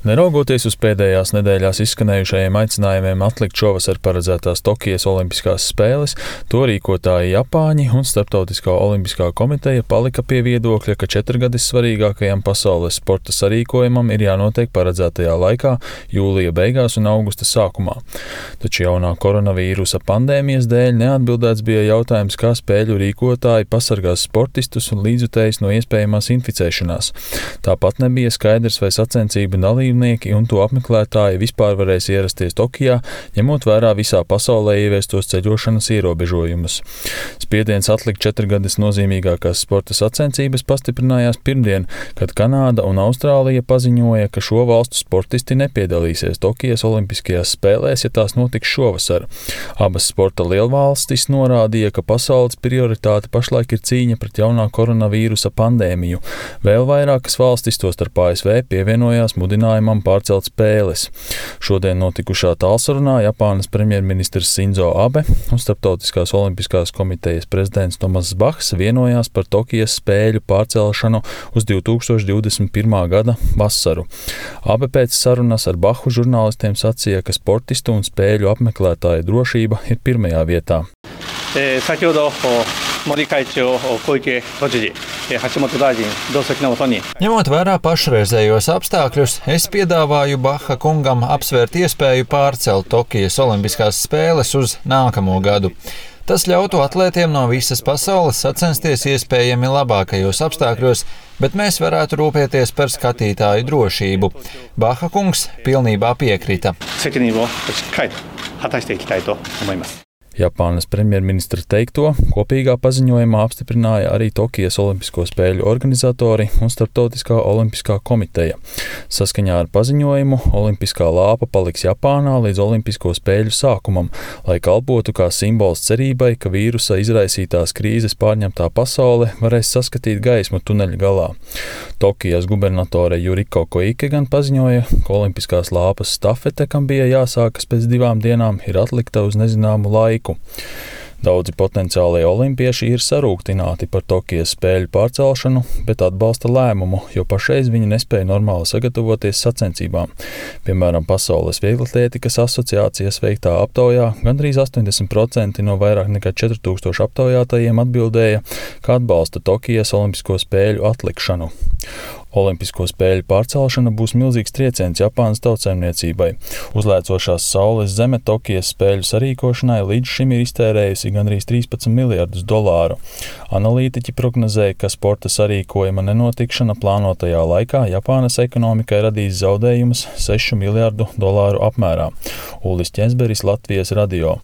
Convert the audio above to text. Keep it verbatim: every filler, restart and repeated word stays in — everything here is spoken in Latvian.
Neraugoties uz pēdējās nedēļās izskanējušajiem aicinājumiem atlikt šovasar paredzētās Tokijas olimpiskās spēles, to rīkotāji Japāņi un Starptautiskā olimpiskā komiteja palika pie viedokļa, ka četrgadis svarīgākajam pasaules sporta sarīkojumam ir jānotiek paredzētajā laikā, jūlija beigās un augusta sākumā. Taču jaunā koronavīrusa pandēmijas dēļ neatbildēts bija jautājums, kā spēļu rīkotāji pasargās sportistus un līdzjutējus no iespējamās inficēšanās. Tāpat nebija skaidrs, vai sacensību dalībnieki un to apmeklētāji vispār varēs ierasties Tokijā, ņemot vērā visā pasaulē ieviestos ceļošanas ierobežojumus. Spiediens atlikt četrgadis nozīmīgākās sporta sacensības pastiprinājās pirmdien, kad Kanāda un Austrālija paziņoja, ka šo valstu sportisti nepiedalīsies Tokijas olimpiskajās spēlēs, ja tās notiks šovasar. Abas sporta lielvalstis norādīja, ka pasaules prioritāte pašlaik ir cīņa pret jaunā koronavīrusa pandēmiju. Vēl vairākas valstis, tostarp A S V, pievienojās mudinājumam pārcelt spēles. Šodien notikušā tālsarunā Japānas premjerministrs Sinzo Abe un Starptautiskās olimpiskās komitejas prezidents Tomass Bahs vienojās par Tokijas spēļu pārcelšanu uz divi tūkstoši divdesmit pirmā gada vasaru. Abe pēc sarunas ar Bahu žurnālistiem sacīja, ka sportistu un spēļu apmeklētāju drošība ir pirmajā vietā. E, Ņemot vērā pašreizējos apstākļus, es piedāvāju Baha kungam apsvērt iespēju pārcelt Tokijas olimpiskās spēles uz nākamo gadu. Tas ļautu atlētiem no visas pasaules sacensties iespējami labākajos apstākļos, bet mēs varētu rūpēties par skatītāju drošību. Baha kungs pilnībā piekrita. Japānas premjerministra teikto kopīgā paziņojumā apstiprināja arī Tokijas olimpisko spēļu organizatori un Starptautiskā olimpiskā komiteja. Saskaņā ar paziņojumu olimpiskā lāpa paliks Japānā līdz olimpisko spēļu sākumam, lai kalpotu kā simbols cerībai, ka vīrusa izraisītās krīzes pārņemtā pasaule varēs saskatīt gaismu tuneļa galā. Tokijas gubernatore Juriko Koike gan paziņoja, ka olimpiskās lāpas stafete, kam bija jāsākas pēc divām dienām, ir atlikta uz nezināmu laiku. Daudzi potenciālie olimpieši ir sarūktināti par Tokijas spēļu pārcelšanu, bet atbalsta lēmumu, jo pašreiz viņi nespēja normāli sagatavoties sacensībām. Piemēram, Pasaules vieglatlētikas asociācijas veiktā aptaujā gandrīz astoņdesmit procenti no vairāk nekā četri tūkstoši aptaujātajiem atbildēja, ka atbalsta Tokijas olimpisko spēļu atlikšanu. Olimpisko spēļu pārcelšana būs milzīgs trieciens Japānas tautsaimniecībai. Uzlēcošās saules zeme Tokijas spēļu sarīkošanai līdz šim ir iztērējusi gandrīz trīspadsmit miljardus dolāru. Analītiķi prognozēja, ka sporta sarīkojuma nenotikšana plānotajā laikā Japānas ekonomikai radīs zaudējumus sešu miljardu dolāru apmērā. Ulis Ķensberis, Latvijas radio.